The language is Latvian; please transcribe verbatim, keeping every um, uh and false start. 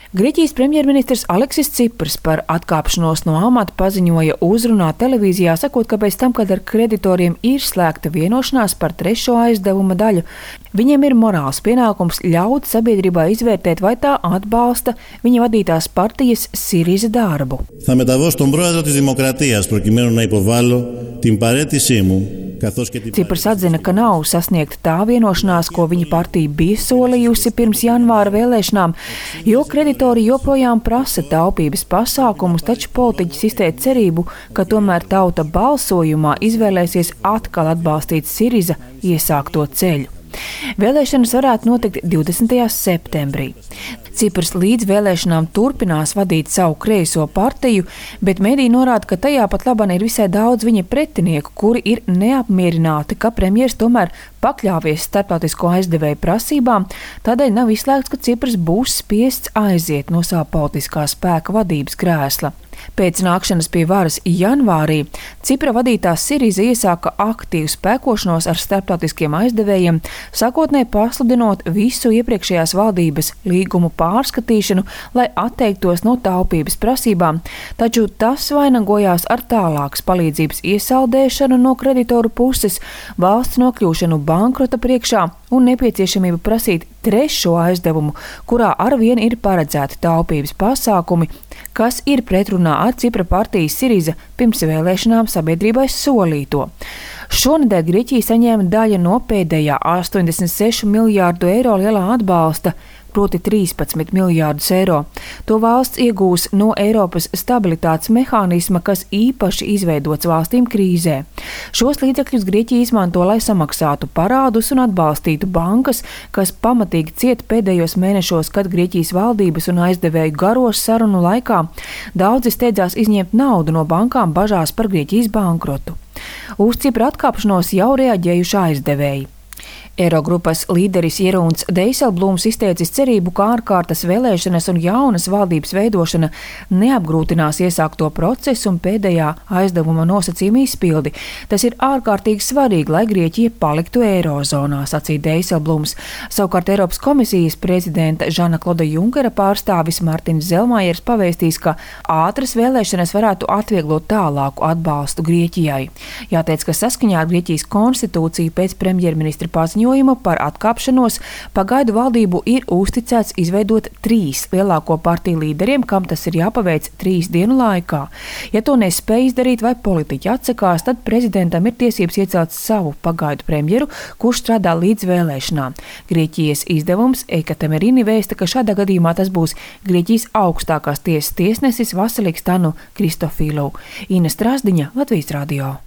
Grieķijas premjerministrs Aleksis Ciprs par atkāpšanos no amata paziņoja uzrunā televīzijā, sakot, ka pēc tam, kad ar kreditoriem ir slēgta vienošanās par trešo aizdevuma daļu, viņiem ir morāls pienākums ļaut sabiedrībai izvērtēt, vai tā atbalsta viņa vadītās partijas Siriza darbu. Θα μεταβώ στον πρόεδρο της Δημοκρατίας προκειμένου να υποβάλω την παραίτησή μου. Ciprs atzina, ka nav sasniegta tā vienošanās, ko viņa partija bija solījusi pirms janvāra vēlēšanām, jo kreditori joprojām prasa taupības pasākumus, taču politiķis izteica cerību, ka tomēr tauta balsojumā izvēlēsies atkal atbalstīt Siriza iesākto ceļu. Vēlēšanas varētu notikt divdesmitajā septembrī. Ciprs līdz vēlēšanām turpinās vadīt savu kreiso partiju, bet mediji norāda, ka tajā pat labāk ir visai daudz viņa pretinieku, kuri ir neapmierināti, ka premjers tomēr pakļāvies starptautisko aizdevēju prasībām, tādēļ nav izslēgts, ka Ciprs būs spiests aiziet no sava politiskā spēka vadības krēsla. Pēc nākšanas pie varas janvārī Cipra vadītā Siriza iesāka aktīvu spēkošanos ar starptautiskiem aizdevējiem, sākotnēji pasludinot visu iepriekšējās valdības līgumu pārskatīšanu, lai atteiktos no taupības prasībām, taču tas vainagojās ar tālākas palīdzības iesaldēšanu no kreditoru puses, valsts nokļūšanu bankrota priekšā un nepieciešamību prasīt trešo aizdevumu, kurā arvien ir paredzēti taupības pasākumi, kas ir pretrunā ar Cipra partijas Siriza pirms vēlēšanām sabiedrībai solīto. Šonedēļ Grieķija saņēma daļu no pēdējā astoņdesmit sešu miljārdu eiro lielā atbalsta, proti trīspadsmit miljārdus eiro. To valsts iegūs no Eiropas stabilitātes mehānisma, kas īpaši izveidots valstīm krīzē. Šos līdzekļus Grieķija izmanto, lai samaksātu parādus un atbalstītu bankas, kas pamatīgi ciet pēdējos mēnešos, kad Grieķijas valdības un aizdevēju garos sarunu laikā daudzi steidzās izņemt naudu no bankām bažās par Grieķijas bankrotu. Uz Cipra atkāpšanos jau reaģējuši aizdevēji. Eirogrupas līderis Jeroens Dijsselbloems izteicis cerību, ka ārkārtas vēlēšanas un jaunas valdības veidošana neapgrūtinās iesākto procesu un pēdējā aizdevuma nosacījuma izpildi. Tas ir ārkārtīgi svarīgi, lai Grieķija paliktu eirozonā, sacīja Dijsselbloems. Savukārt Eiropas komisijas prezidenta Žana Kloda Junkera pārstāvis Martins Zelmajers pavēstīs, ka ātras vēlēšanas varētu atvieglot tālāku atbalstu Grieķijai. Jāteic, ka saskaņā ar Grieķijas konstitūciju pēc premjerministra paziņojuma par atkāpšanos pagaidu valdību ir uzticēts izveidot trīs lielāko partiju līderiem, kam tas ir jāpaveic trīs dienu laikā. Ja to nespēj izdarīt vai politiķi atsakās, tad prezidentam ir tiesības iecelt savu pagaidu premjeru, kurš strādā līdz vēlēšanām. Grieķijas izdevums Ekatemerini vēsta, ka šādā gadījumā tas būs Grieķijas augstākās tiesas tiesnesis Vasiliks Tanu Kristofīlu. Ines Strasdiņa, Latvijas radio.